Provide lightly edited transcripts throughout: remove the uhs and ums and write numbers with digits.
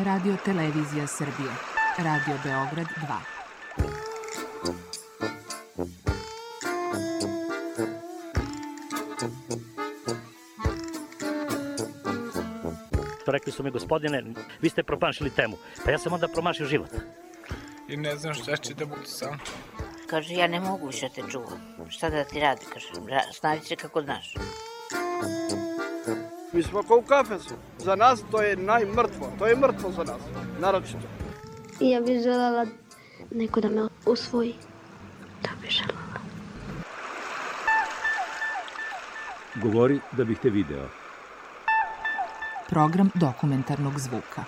Radio Televizija Srbije. Radio Beograd 2. Rekli su mi, gospodine, vi ste promašili temu. Pa ja sam onda promašio život. I ne znam šta će da bude sam. Kaže, ja ne mogu više te čuvam. Šta da ti radi, kaže, snađi se kako znaš. Mi smo kao u kafesu. Za nas to je najmrtvo. To je mrtvo za nas, naročito. I ja bih željela neko da me usvoji. Da bih željela. Govori da bih te video. Program dokumentarnog zvuka.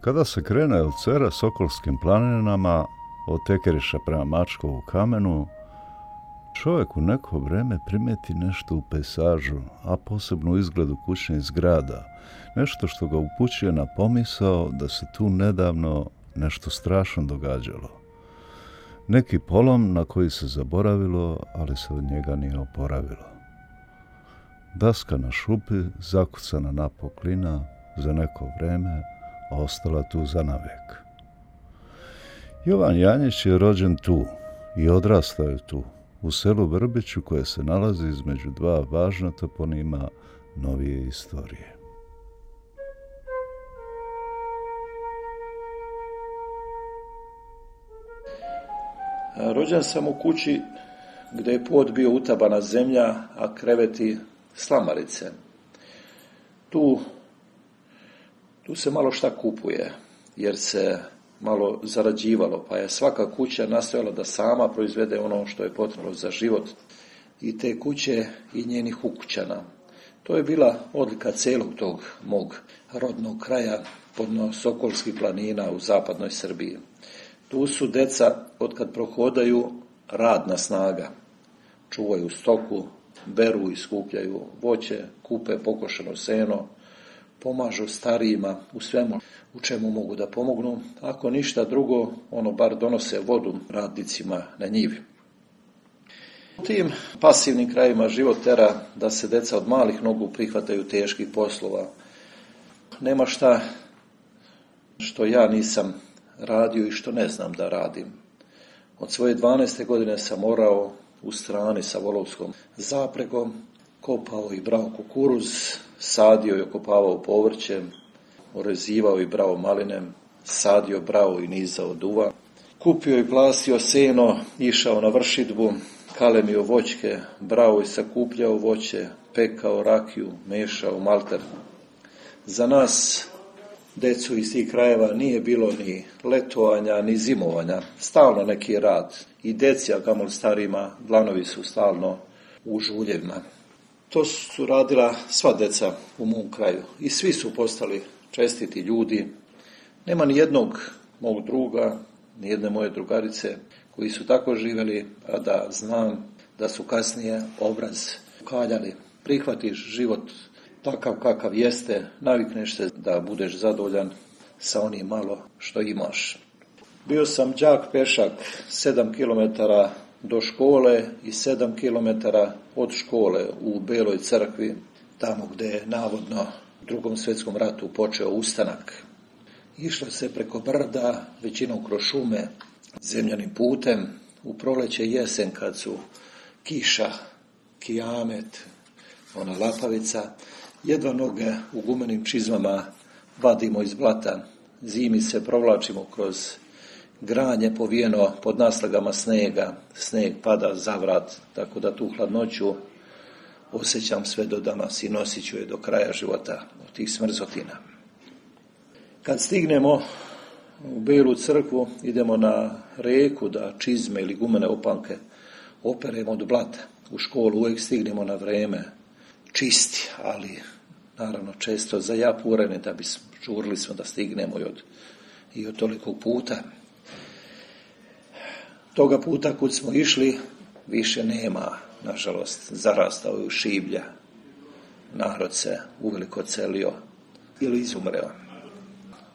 Kada se krene od Cera Sokolskim planinama, od Tekeriša prema Mačkovu kamenu, čovjek u neko vreme primeti nešto u pejsažu, a posebno u izgledu kućnih zgrada, nešto što ga upućuje na pomisao da se tu nedavno nešto strašno događalo. Neki polom na koji se zaboravilo, ali se od njega nije oporavilo. Daska na šupi, zakucana na poklina, za neko vreme, a ostala tu zanavijek. Jovan Janjić je rođen tu i odrastao je tu, u selu Vrbiću koje se nalazi između dva važna toponima novije istorije. Rođen sam u kući gdje je pod bio utabana zemlja, a kreveti slamarice. Tu se malo šta kupuje, jer se malo zarađivalo, pa je svaka kuća nastojala da sama proizvede ono što je potrebno za život i te kuće i njenih ukućana. To je bila odlika celog tog mog rodnog kraja, podno Sokolskih planina u zapadnoj Srbiji. Tu su deca, otkad prohodaju, radna snaga. Čuvaju stoku, beru i skupljaju voće, kupe pokošeno seno, pomažu starijima u svemu u čemu mogu da pomognu. Ako ništa drugo, bar donose vodu radnicima na njivi. U tim pasivnim krajima život tera da se deca od malih nogu prihvataju teških poslova. Nema šta što ja nisam radio i što ne znam da radim. Od svoje 12. godine sam morao u strani sa volovskom zapregom, kopao i brao kukuruz, sadio i okopavao povrće, orezivao i brao maline, sadio, brao i nizao duva, kupio i plasio seno, išao na vršidbu, kalemio voćke, brao i sakupljao voće, pekao rakiju, mešao malter. Za nas, decu iz tih krajeva, nije bilo ni letovanja, ni zimovanja, stalno neki rad. I deci, a kamoli starima, dlanovi su stalno u žuljevima. To su radila sva deca u mom kraju i svi su postali čestiti ljudi. Nema ni jednog mog druga, ni jedne moje drugarice koji su tako živjeli, a da znam da su kasnije obraz ukaljali. Prihvatiš život takav kakav jeste, navikneš se da budeš zadovoljan sa onim malo što imaš. Bio sam đak pešak 7 km do škole i 7 km od škole u Beloj crkvi, tamo gdje je navodno u Drugom svjetskom ratu počeo ustanak. Išlo se preko brda, većinom kroz šume, zemljanim putem, u proleće i jesen kad su kiša, kijamet, ona lapavica, jedva noge u gumenim čizmama vadimo iz blata, zimi se provlačimo kroz granje povijeno pod naslagama snega, sneg pada za vrat, tako da tu hladnoću osjećam sve do danas i nosit ću je do kraja života od tih smrzotina. Kad stignemo u Belu crkvu, idemo na reku da čizme ili gumene opanke operemo od blata. U školu uvijek stignemo na vreme, čisti, ali naravno često zajapureni da bi žurili smo da stignemo i od tolikog puta. Toga puta kud smo išli više nema, nažalost, zarastao je u šiblja. Narod se uveliko celio, ili izumreo.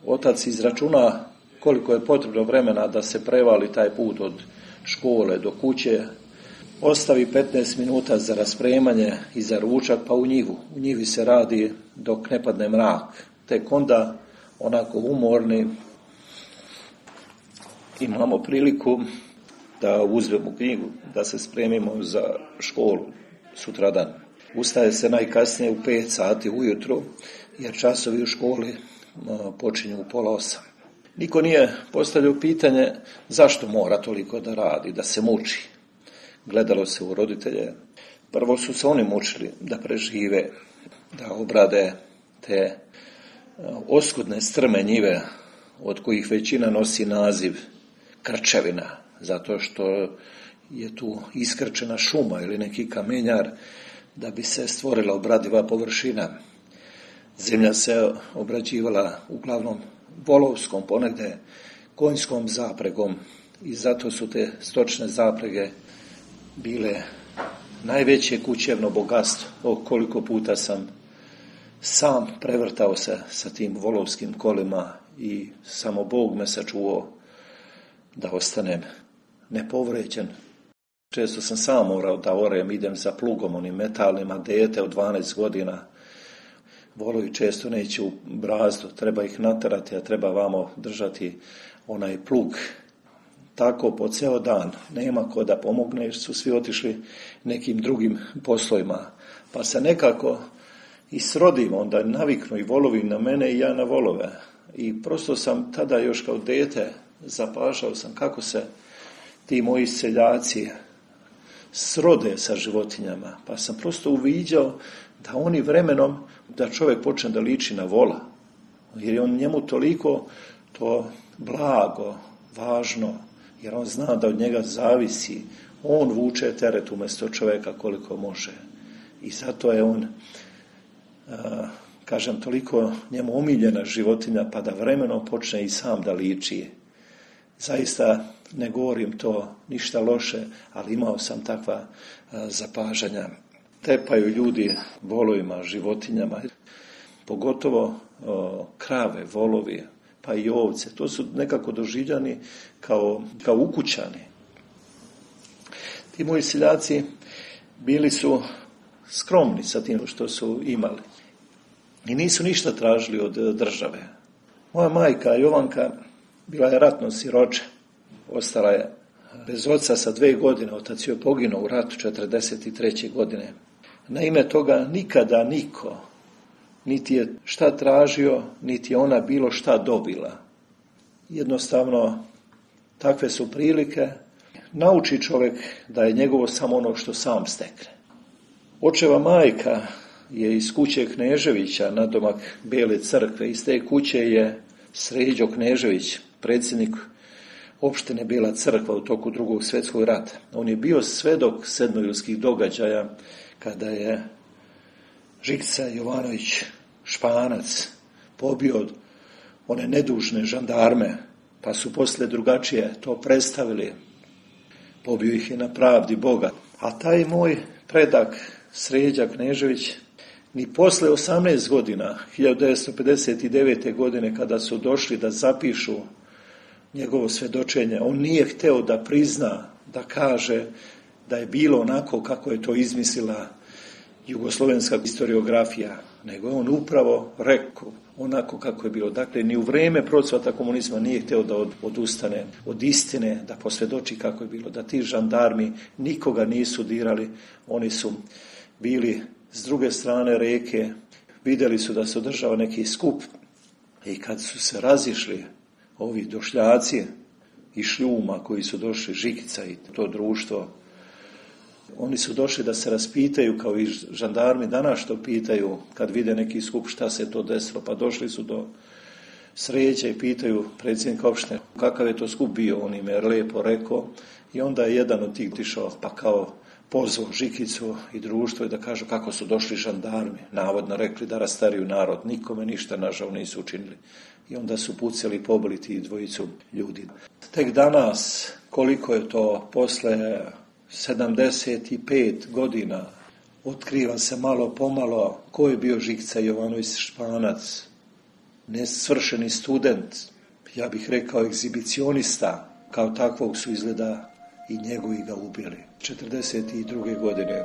Otac izračuna koliko je potrebno vremena da se prevali taj put od škole do kuće, ostavi 15 minuta za raspremanje i za ručak, pa u njivu. U njivi se radi dok ne padne mrak. Tek onda, onako umorni, imamo priliku da uzmemo knjigu, da se spremimo za školu sutradan. Ustaje se najkasnije u 5 sati ujutro, jer časovi u školi počinju u 7:30. Niko nije postavljao pitanje zašto mora toliko da radi, da se muči. Gledalo se u roditelje. Prvo su se oni mučili da prežive, da obrade te oskudne strme njive od kojih većina nosi naziv krčevina, zato što je tu iskrčena šuma ili neki kamenjar da bi se stvorila obradiva površina. Zemlja se obrađivala uglavnom volovskom, ponegde konjskom zapregom i zato su te stočne zaprege bile najveće kućevno bogatstvo. Koliko puta sam sam prevrtao se sa tim volovskim kolima i samo Bog me sačuvao da ostanem nepovređen. Često sam sam morao da orem, idem za plugom, onim metalnima, dete od 12 godina. Volovi često neće u brazdu, treba ih naterati, a treba vamo držati onaj plug. Tako po ceo dan, nema ko da pomogne, jer su svi otišli nekim drugim poslovima. Pa se nekako i srodim, onda naviknu i volovi na mene i ja na volove. I prosto sam tada još kao dete zapažao sam kako se ti moji seljaci srode sa životinjama. Pa sam prosto uviđao da oni vremenom, da čovjek počne da liči na vola. Jer je on njemu toliko to blago, važno, jer on zna da od njega zavisi. On vuče teret umjesto čovjeka koliko može. I zato je on, toliko njemu omiljena životinja, pa da vremenom počne i sam da liči. Zaista ne govorim to ništa loše, ali imao sam takva zapažanja. Tepaju ljudi volovima, životinjama, pogotovo krave, volovi, pa i ovce. To su nekako doživljani kao ukućani. Ti moji seljaci bili su skromni sa tim što su imali i nisu ništa tražili od države. Moja majka Jovanka bila je ratno siroče, ostala je bez oca sa 2 godine, otac joj poginuo u ratu 1943. godine. Na ime toga nikada niko niti je šta tražio, niti je ona bilo šta dobila. Jednostavno, takve su prilike. Nauči čovjek da je njegovo samo ono što sam stekne. Očeva majka je iz kuće Kneževića, nadomak Bele crkve. Iz te kuće je Sređo Knežević, predsjednik opštine Bela crkva u toku Drugog svjetskog rata. On je bio svedok sedmojulskih događaja kada je Žikica Jovanović Španac pobio one nedužne žandarme, pa su poslije drugačije to predstavili. Pobio ih je na pravdi Boga. A taj moj predak Sređa Knežević ni posle 18 godina, 1959. godine, kada su došli da zapišu njegovo svjedočenje, on nije hteo da prizna, da kaže da je bilo onako kako je to izmislila jugoslovenska historiografija, nego je on upravo rekao onako kako je bilo. Dakle, ni u vrijeme procvata komunizma nije hteo da odustane od istine, da posvjedoči kako je bilo, da ti žandarmi nikoga nisu dirali, oni su bili s druge strane reke, vidjeli su da se održava neki skup i kad su se razišli ovi došljaci i Šljuma koji su došli, Žikica i to društvo, oni su došli da se raspitaju kao i žandarmi danas što pitaju kad vide neki skup šta se to desilo, pa došli su do Sreće i pitaju predsjednika opštine kakav je to skup bio, on im je lijepo rekao i onda je jedan od tih tišao pa kao pozvao Žikicu i društvo i da kažu kako su došli žandarmi, navodno rekli da rastariju narod, nikome ništa nažal nisu učinili. I onda su pucali i pobili ti dvojicu ljudi. Tek danas, koliko je to posle 75 godina, otkriva se malo pomalo ko je bio Žikica Jovanović Španac, nesvršeni student, ja bih rekao egzibicionista, kao takvog su izgleda i njegovi ga ubili 1942. godine.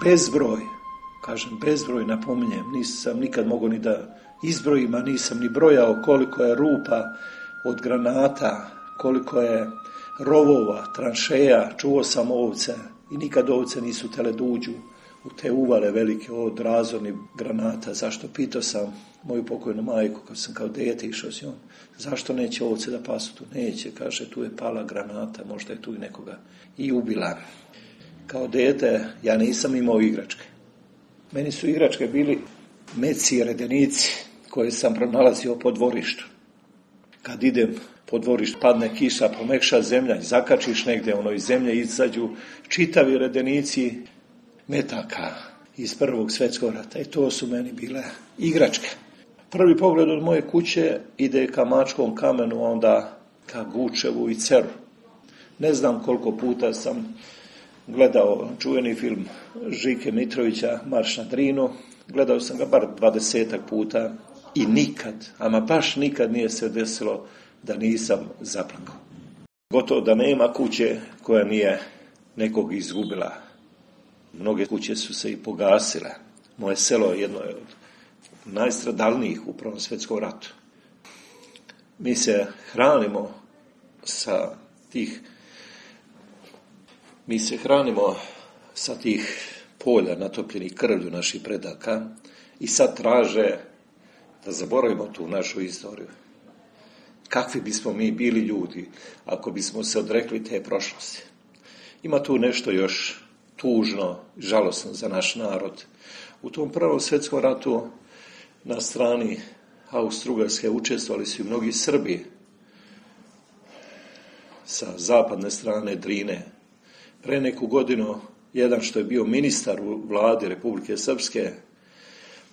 Bezbroj, kažem bezbroj, napominjem, nisam nikad mogao ni da izbrojim, a nisam ni brojao koliko je rupa od granata, koliko je rovova, tranšeja, čuo sam ovce i nikad ovce nisu tele da uđu u te uvale velike od razornih granata. Zašto? Pitao sam moju pokojnu majku, kad sam kao dete išao s njom, zašto neće ovce da pasu tu? Neće, kaže, tu je pala granata, možda je tu i nekoga i ubila. Kao dete ja nisam imao igračke. Meni su igračke bili meci i redenici koje sam pronalazio po dvorištu. Kad idem po dvorištu, padne kiša, pomekša zemlja i zakačiš negdje, iz zemlje izađu čitavi redenici metaka iz Prvog svjetskog rata. I to su meni bile igračke. Prvi pogled od moje kuće ide ka Mačkom kamenu, a onda ka Gučevu i Ceru. Ne znam koliko puta sam gledao čuveni film Žike Mitrovića, Marš na Drinu. Gledao sam ga bar 20 puta i nikad, ama baš nikad nije se desilo da nisam zaplakao. Gotovo da nema kuće koja nije nekog izgubila. Mnoge kuće su se i pogasile. Moje selo je jedno od najstradalnijih u Prvom svjetskom ratu. Mi se hranimo sa tih polja natopljenih krvlju naših predaka i sad traže da zaboravimo tu našu istoriju. Kakvi bismo mi bili ljudi ako bismo se odrekli te prošlosti? Ima tu nešto još tužno, žalosno za naš narod. U tom Prvom svjetskom ratu na strani Austro-Ugarske učestvovali su i mnogi Srbi sa zapadne strane Drine. Pre neku godinu, jedan što je bio ministar u vladi Republike Srpske,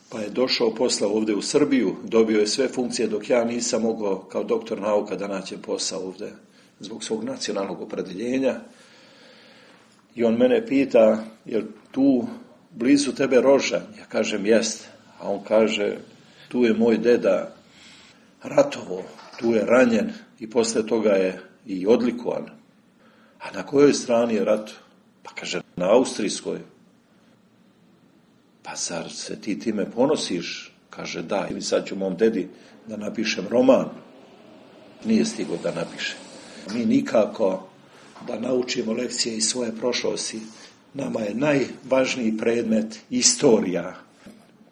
pa je došao posla ovdje u Srbiju, dobio je sve funkcije dok ja nisam mogao kao doktor nauka da nađem posao ovdje zbog svog nacionalnog opredeljenja. I on mene pita, je li tu blizu tebe Rožanj? Ja kažem, jest. A on kaže, tu je moj deda ratovo, tu je ranjen i posle toga je i odlikovan. A na kojoj strani je rat? Pa kaže, na austrijskoj. Pa zar se ti time ponosiš? Kaže, da, i sad ću mom dedi da napišem roman. Nije stigao da napiše. Mi nikako da naučimo lekcije iz svoje prošlosti. Nama je najvažniji predmet istorija.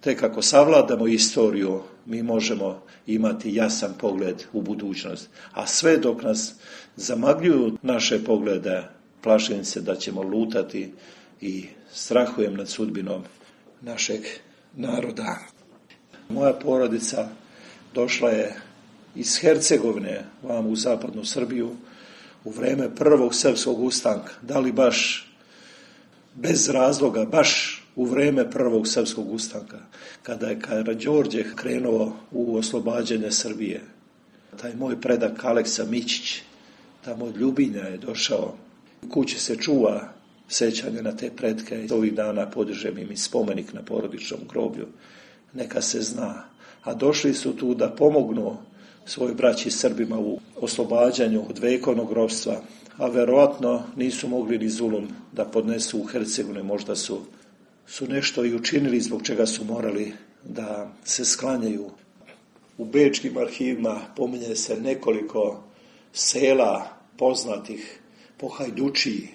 Tek ako savladamo istoriju, mi možemo imati jasan pogled u budućnost. A sve dok nas zamagljuju naše poglede, plašim se da ćemo lutati i strahujem nad sudbinom našeg naroda. Moja porodica došla je iz Hercegovine vam u zapadnu Srbiju u vreme Prvog srpskog ustanka. Da li baš bez razloga, baš u vreme Prvog srpskog ustanka, kada je Karađorđe krenuo u oslobađanje Srbije. Taj moj predak Aleksa Mićić, tamo od Ljubinja je došao. U kući se čuva sećanje na te pretke i ovih dana podižem im i spomenik na porodičnom groblju. Neka se zna. A došli su tu da pomognu svoj braći Srbima u oslobađanju od vekovnog ropstva, a verovatno nisu mogli ni zulum da podnesu u Hercegovini, možda su nešto i učinili zbog čega su morali da se sklanjaju. U bečkim arhivima pominje se nekoliko sela poznatih po Hajdučiji,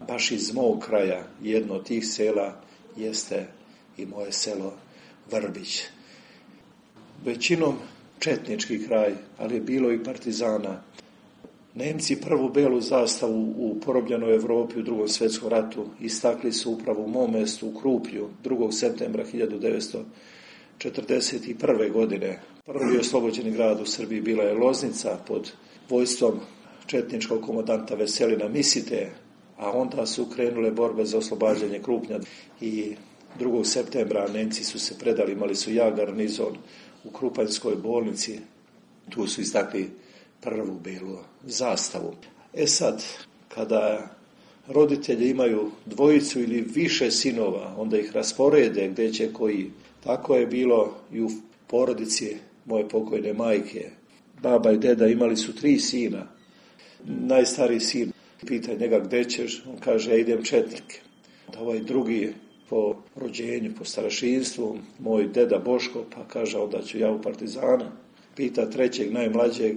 baš iz mog kraja. Jedno od tih sela jeste i moje selo Vrbić. Većinom četnički kraj, ali je bilo i partizana. Nemci prvu belu zastavu u porobljenoj Evropi u Drugom svjetskom ratu istakli su upravo u mom mjestu u Kruplju 2. septembra 1941. godine. Prvi oslobođeni grad u Srbiji bila je Loznica pod vojstvom četničkog komandanta Veselina Misite, a onda su krenule borbe za oslobađanje Krupnja i 2. septembra Nemci su se predali, imali su garnizon u Krupanjskoj bolnici, tu su istakli prvu belu zastavu. Sad, kada roditelji imaju dvojicu ili više sinova, onda ih rasporede gdje će koji. Tako je bilo i u porodici moje pokojne majke. Baba i deda imali su 3 sina. Najstariji sin pita njega gdje ćeš, on kaže ja idem četnike. Ovaj drugi po rođenju, po starešinstvu, moj deda Boško, pa kaže onda ću ja u partizana. Pita trećeg, najmlađeg,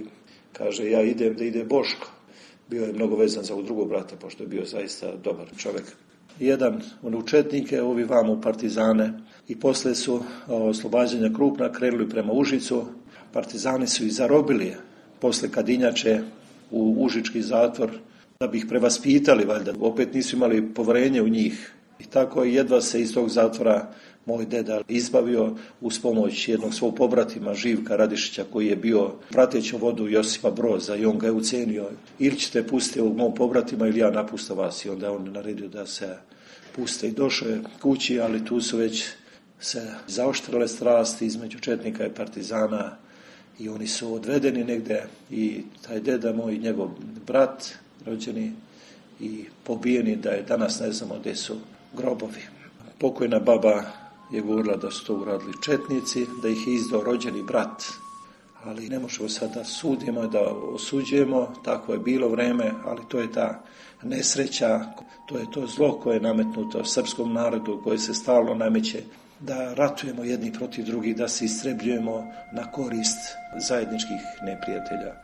kaže ja idem da ide Boško. Bio je mnogo vezan za ovog drugog brata, pošto je bio zaista dobar čovjek. Jedan u četnike, ovi vam u partizane. I posle su oslobađanja Krupna krenuli prema Užicu. Partizani su ih zarobili posle Kadinjače u Užički zatvor da bi ih prevaspitali, valjda. Opet nisu imali poverenje u njih. I tako jedva se iz tog zatvora moj deda izbavio uz pomoć jednog svog pobratima Živka Radišića koji je bio prateći vodu Josipa Broza i on ga je ucenio. Ili ćete pustiti ovog mog pobratima ili ja napustam vas. I onda je on naredio da se puste i došao je kući, ali tu su već se zaoštrale strasti između četnika i partizana i oni su odvedeni negdje i taj deda moj i njegov brat rođeni i pobijeni da je danas ne znamo gdje su grobovi. Pokojna baba je govorila da su to uradili četnici, da ih je izdao rođeni brat, ali ne možemo sad da sudimo, da osuđujemo, tako je bilo vreme, ali to je ta nesreća, to je to zlo koje je nametnuto srpskom narodu, koje se stalno nameće, da ratujemo jedni protiv drugih, da se istrebljujemo na korist zajedničkih neprijatelja.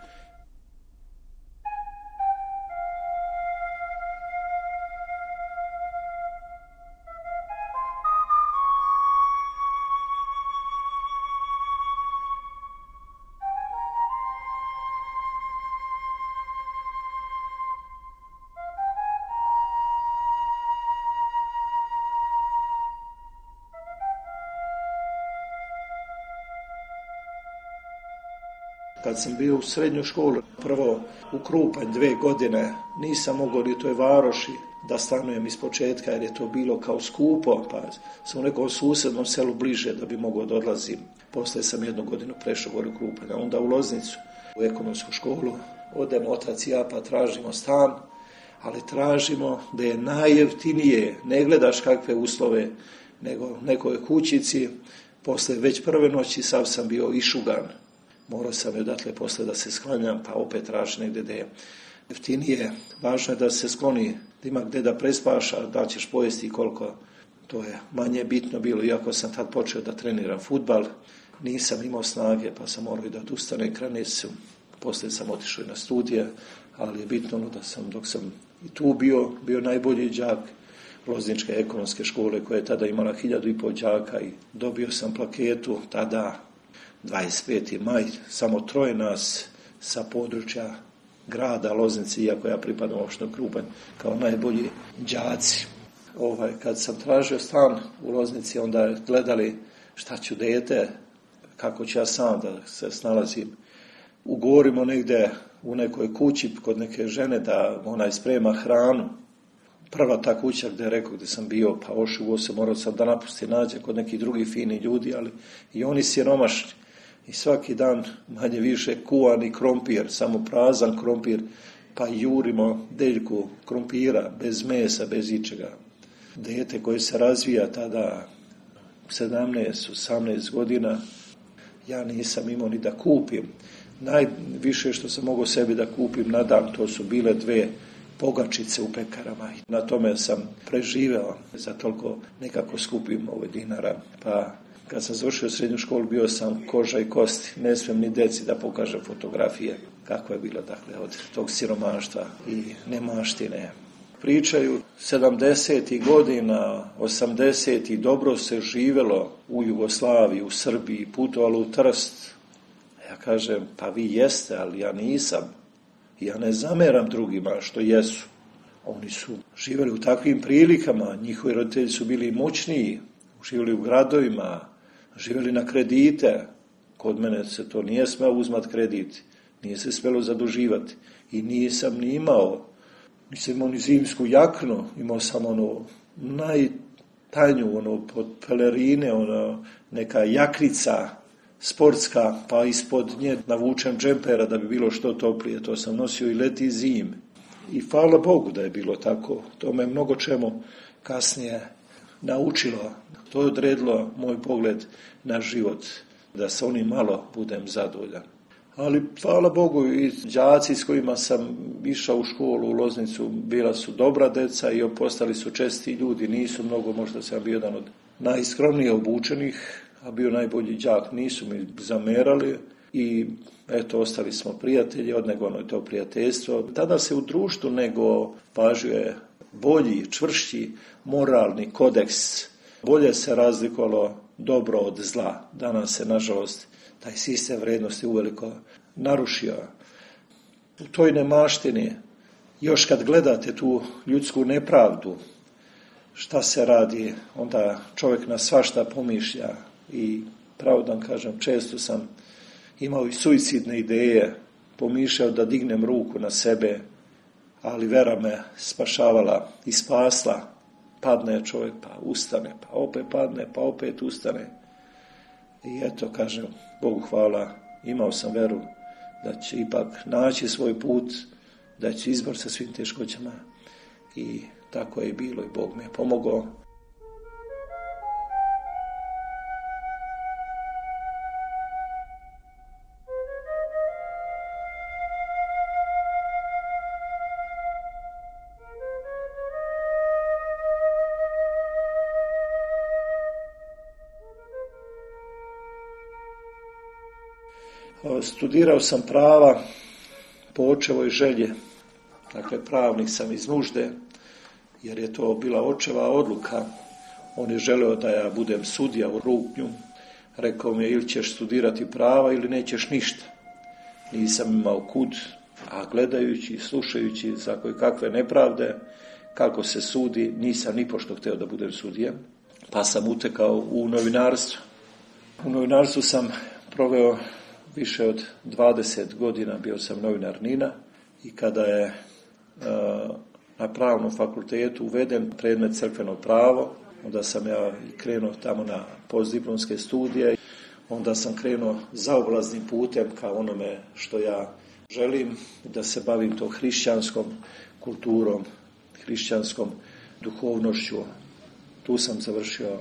Kad sam bio u srednju školu, prvo u Krupanj 2 godine, nisam mogao ni u toj varoši da stanujem iz početka jer je to bilo kao skupo, pa sam u nekom susjednom selu bliže da bi mogao da odlazim. Poslije sam 1 godinu prešao gore u Krupanj, a onda u Loznicu, u ekonomsku školu. Odemo otac i ja pa tražimo stan, ali tražimo da je najjeftinije, ne gledaš kakve uslove, nego nekoj kućici. Poslije već prve noći sav sam bio išugan. Morao sam i odatle posle da se sklanjam, pa opet traži negdje gdje je jeftinije. Važno je da se skloni, da ima gdje da prespaš, a da ćeš pojesti i koliko. To je manje bitno bilo, iako sam tad počeo da treniram fudbal. Nisam imao snage, pa sam morao i da odustanem kranicu. Poslije sam otišao i na studije, ali je bitno da sam, dok sam i tu bio najbolji đak Lozničke ekonomske škole, koja je tada imala 1500 đaka i dobio sam plaketu tada 25. maj, samo 3 nas sa područja grada Loznice, iako ja pripadam opštini Krupanj, kao najbolji đaci. Kad sam tražio stan u Loznici, onda gledali šta ću dete, kako ću ja sam da se snalazim. Ugovorimo negdje u nekoj kući kod neke žene da ona sprema hranu. Prva ta kuća gdje je rekao gdje sam bio, pa ošugo se, morao sam da napusti nađe kod nekih drugih fini ljudi, ali i oni siromašni. I svaki dan manje više kuvani krompir, samo prazan krompir, pa jurimo deljku krompira, bez mesa, bez ičega. Dete koje se razvija tada 17-18 godina, ja nisam imao ni da kupim. Najviše što sam mogao sebi da kupim na dan, to su bile 2 pogačice u pekarama. Na tome sam preživeo za toliko nekako skupim dinara. Pa kad sam završio srednju školu, bio sam koža i kosti. Ne smijem ni deci da pokažem fotografije kako je bilo od tog siromaštva i nemaštine. Pričaju 70. godina, 80. dobro se živelo u Jugoslaviji, u Srbiji, putovalo u Trst. Ja kažem, pa vi jeste, ali ja nisam. Ja ne zameram drugima što jesu. Oni su živjeli u takvim prilikama, njihovi roditelji su bili moćniji, živjeli u gradovima, živjeli na kredite. Kod mene se to nije smelo uzmat kredit, nije se smelo zaduživati i nisam ni imao nisam imao ni zimsku jaknu, imao sam najtanju, pod pelerine, neka jaknica sportska, pa ispod nje navučem džempera da bi bilo što toplije. To sam nosio i leti i zim. I hvala Bogu da je bilo tako. To me mnogo čemu kasnije naučilo. To je odredilo moj pogled na život, da sa onim malo budem zadovoljan. Ali hvala Bogu i đaci s kojima sam išao u školu u Loznicu bila su dobra deca i postali su česti ljudi. Nisu mnogo, možda sam bio jedan od najskromnije obučenih, a bio najbolji đak. Nisu mi zamerali i eto, ostali smo prijatelji, odnego je to prijateljstvo. Tada se u društvu nego važio je bolji, čvršći moralni kodeks. Bolje se razlikovalo dobro od zla. Danas se, nažalost, taj sistem vrednosti uveliko narušio. U toj nemaštini, još kad gledate tu ljudsku nepravdu, šta se radi, onda čovjek na svašta pomišlja i pravo da vam kažem, često sam imao i suicidne ideje, pomišljao da dignem ruku na sebe, ali vera me spašavala i spasla. Padne čovjek, pa ustane, pa opet padne, pa opet ustane. I eto, kažem, Bogu hvala, imao sam veru da će ipak naći svoj put, da će izbor sa svim teškoćama. I tako je bilo i Bog mi je pomogao. Studirao sam prava po očevoj želji, dakle pravnik sam iz nužde, jer je to bila očeva odluka. On je želeo da ja budem sudija u Rupnju. Rekao mi je, ili ćeš studirati prava ili nećeš ništa. Nisam imao kud, a gledajući i slušajući za kakve nepravde, kako se sudi, nisam ni pošto htio da budem sudija, pa sam utekao u novinarstvo. U novinarstvu sam proveo više od 20 godina, bio sam novinar NIN-a i kada je na pravnom fakultetu uveden predmet crkveno pravo, onda sam ja krenuo tamo na postdiplomske studije, onda sam krenuo zaobilaznim putem ka onome što ja želim, da se bavim to hrišćanskom kulturom, hrišćanskom duhovnošću. Tu sam završio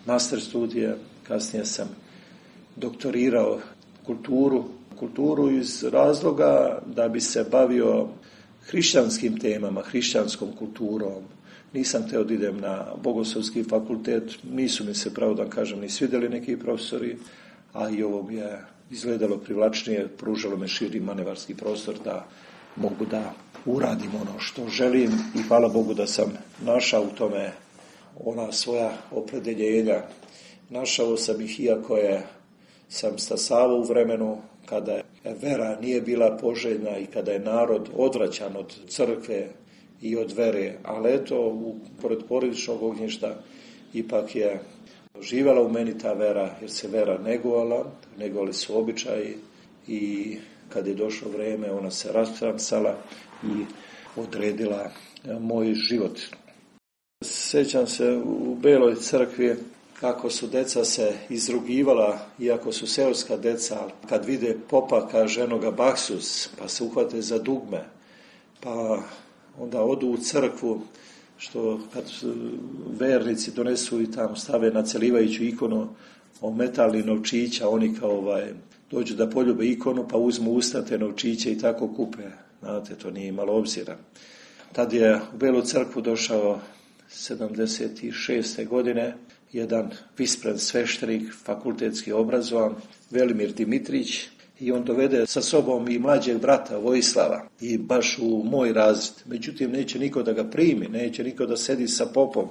master studije, kasnije sam doktorirao kulturu iz razloga da bi se bavio hrišćanskim temama, hrišćanskom kulturom. Nisam htio da idem na bogoslovski fakultet, nisu mi se, pravo da kažem, ni svidjeli neki profesori, a i ovo mi je izgledalo privlačnije, pružalo me širi manevarski prostor da mogu da uradim ono što želim i hvala Bogu da sam našao u tome ona svoja opredeljenja. Našao sam ih iako sam stasavao u vremenu kada vera nije bila poželjna i kada je narod odvraćan od crkve i od vere, ali eto, pored porodičnog ognjišta ipak je živjela u meni ta vera, jer se vera negovali su običaji i kad je došlo vrijeme ona se rastramsala i odredila moj život. Sjećam se u Beloj crkvi kako su deca se izrugivala, iako su seoska deca, kad vide popa, kaže enoga baksus, pa se uhvate za dugme, pa onda odu u crkvu, što kad vernici donesu i tamo stave na celivajuću ikonu o metalni novčića, oni kao dođu da poljube ikonu, pa uzmu usta te novčiće i tako kupe. Znate, to nije imalo obzira. Tad je u Belu crkvu došao 76. godine jedan vispren sveštenik, fakultetski obrazovan, Velimir Dimitrić, i on dovede sa sobom i mlađeg brata Vojislava i baš u moj razred. Međutim, neće niko da ga primi, neće niko da sedi sa popom.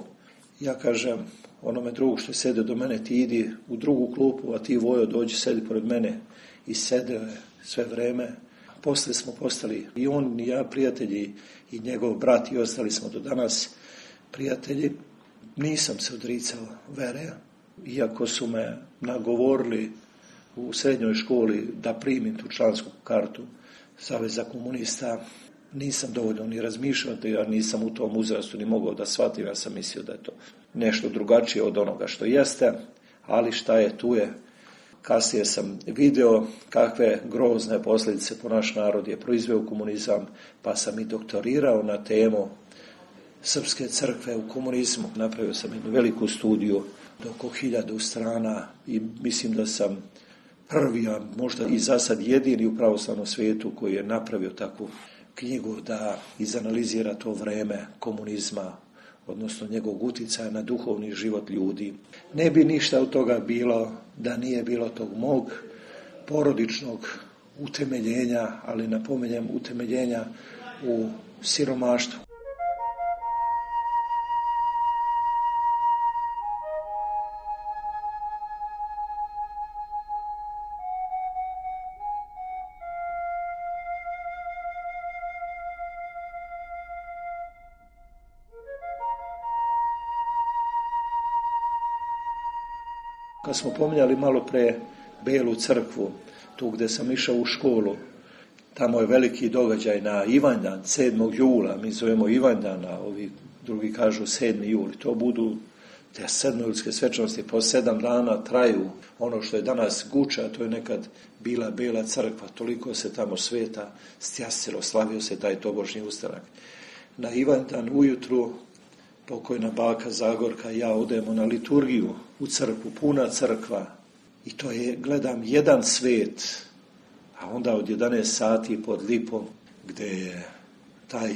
Ja kažem onome drugu što sede do mene, ti idi u drugu klupu, a ti Vojo dođi sedi pored mene. I sedeo je sve vreme. Posle smo postali i on i ja prijatelji i njegov brat i ostali smo do danas prijatelji. Nisam se odricao vere, iako su me nagovorili u srednjoj školi da primim tu člansku kartu Saveza komunista. nisam dovoljno ni razmišljao, ja nisam u tom uzrastu ni mogao da shvatim, ja sam mislio da je to nešto drugačije od onoga što jeste, ali šta je, tu je. Kasnije sam video kakve grozne posljedice po naš narod je proizveo komunizam, pa sam i doktorirao na temu Srpske crkve u komunizmu. Napravio sam jednu veliku studiju do oko 1000 strana i mislim da sam prvi, a možda i za sad jedini u pravoslavnom svijetu koji je napravio takvu knjigu da izanalizira to vreme komunizma, odnosno njegovog utjecaja na duhovni život ljudi. Ne bi ništa od toga bilo da nije bilo tog mog porodičnog utemeljenja, ali napominjem utemeljenja u siromaštvu. Kad smo pominjali malo pre Belu crkvu, tu gdje sam išao u školu, tamo je veliki događaj na Ivanjdan, 7. jula, mi zovemo Ivanjdana, ovi drugi kažu 7. juli, to budu te sedmojulske svečanosti, po 7 dana traju. Ono što je danas Guča, to je nekad bila Bela crkva, toliko se tamo sveta stjasilo, slavio se taj tobožnji ustanak. Na Ivanjdan ujutru pokojna baka Zagorka i ja odemo na liturgiju u crkvu, puna crkva. I to je, gledam, jedan svet, a onda od 11 sati pod lipom, gdje je taj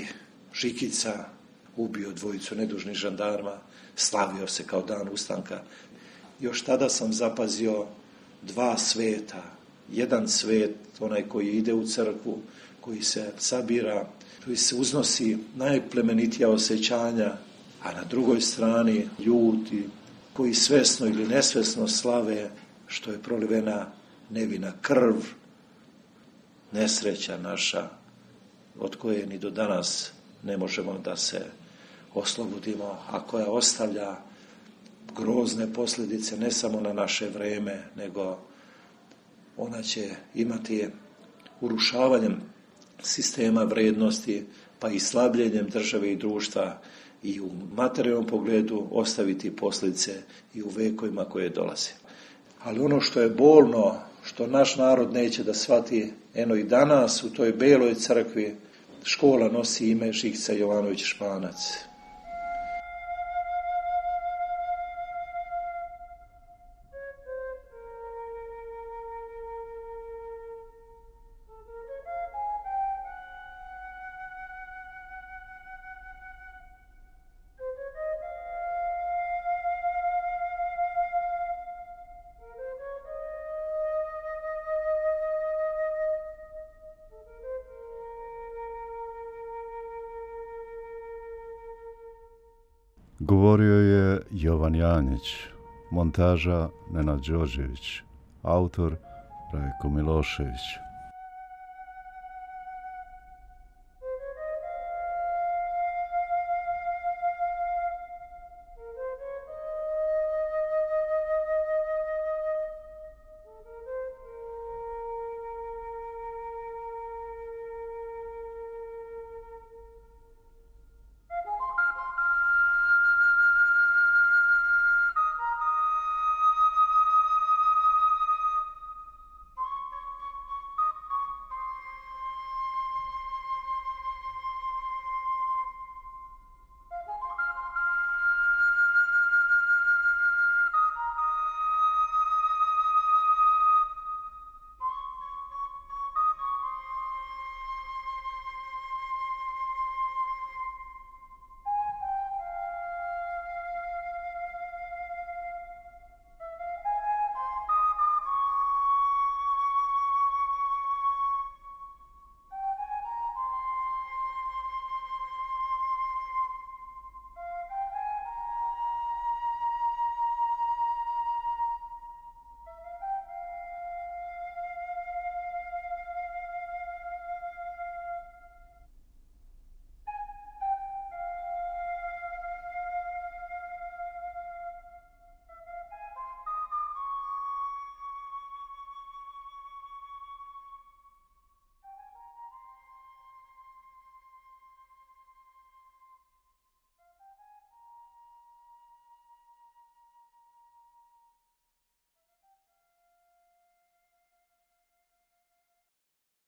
Žikica ubio 2 nedužnih žandarma, slavio se kao dan ustanka. Još tada sam zapazio 2 sveta. Jedan svet, onaj koji ide u crkvu, koji se sabira, koji se uznosi najplemenitija osjećanja, a na drugoj strani ljudi koji svesno ili nesvesno slave što je prolivena nevina krv, nesreća naša, od koje ni do danas ne možemo da se oslobodimo, a koja ostavlja grozne posljedice ne samo na naše vreme, nego ona će imati urušavanjem sistema vrednosti, pa i slabljenjem države i društva i u materijalnom pogledu ostaviti posljedice i u vekovima koje dolaze. Ali ono što je bolno, što naš narod neće da shvati, eno i danas u toj Beloj crkvi škola nosi ime Žikica Jovanović Španac. Govorio je Jovan Janjić, montaža Nenad Đorđević, autor Rajko Milošević.